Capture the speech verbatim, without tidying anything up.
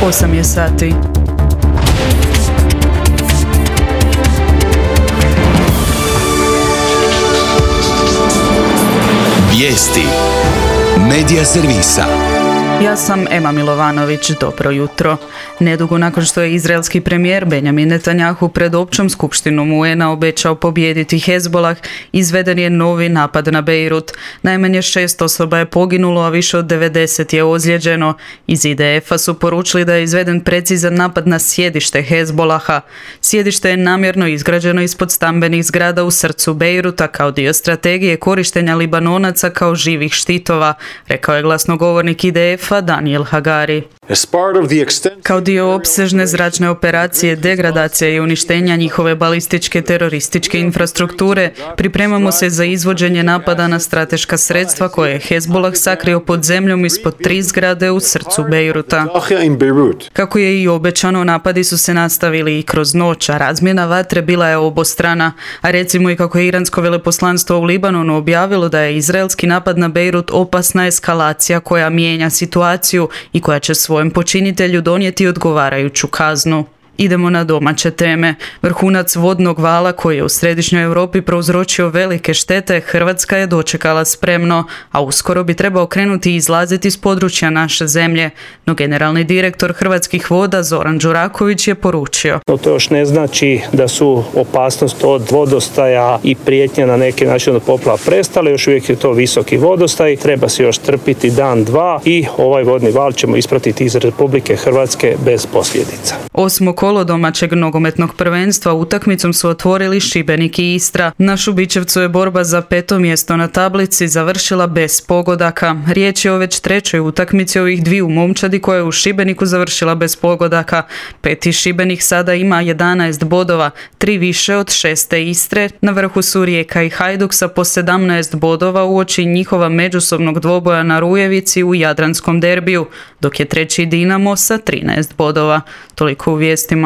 osam je sati. Vijesti Medija servisa. Ja sam Ema Milovanović, dobro jutro. Nedugo nakon što je izraelski premijer Benjamin Netanjahu pred općom skupštinom U N-a obećao pobijediti Hezbolah, izveden je novi napad na Beirut. Najmanje šest osoba je poginulo, a više od devedeset je ozlijeđeno. Iz I D F-a su poručili da je izveden precizan napad na sjedište Hezbolaha. Sjedište je namjerno izgrađeno ispod stambenih zgrada u srcu Beiruta kao dio strategije korištenja Libanonaca kao živih štitova, rekao je glasnogovornik I D F-a Daniel Hagari. Kao dio opsežne zračne operacije degradacija i uništenja njihove balističke terorističke infrastrukture, pripremamo se za izvođenje napada na strateška sredstva koje je Hezbolah sakrio pod zemljom ispod tri zgrade u srcu Beiruta. Kako je i obećano, napadi su se nastavili i kroz noć, a razmjena vatre bila je obostrana. A recimo i kako je iransko veleposlanstvo u Libanonu objavilo da je izraelski napad na Beirut opasna eskalacija koja mijenja situaciju i koja će svojem počinitelju donijeti odgovarajuću kaznu. Idemo na domaće teme. Vrhunac vodnog vala koji je u središnjoj Europi prouzročio velike štete, Hrvatska je dočekala spremno, a uskoro bi trebao krenuti i izlaziti iz područja naše zemlje. No generalni direktor Hrvatskih voda Zoran Đuraković je poručio: No, to još ne znači da su opasnost od vodostaja i prijetnja na neki način od poplava prestale, još uvijek je to visoki vodostaj, treba se još trpiti dan, dva i ovaj vodni val ćemo ispratiti iz Republike Hrvatske bez posljedica. Osmo kolo domaćeg nogometnog prvenstva utakmicom su otvorili Šibenik i Istra. Na Šubićevcu je borba za peto mjesto na tablici završila bez pogodaka. Riječ je o već trećoj utakmici ovih dviju momčadi koja je u Šibeniku završila bez pogodaka. Peti Šibenik sada ima jedanaest bodova, tri više od šeste Istre. Na vrhu su Rijeka i Hajduk sa po sedamnaest bodova uoči njihova međusobnog dvoboja na Rujevici u Jadranskom derbiju, dok je treći Dinamo sa trinaest bodova. Toliko u vijestima.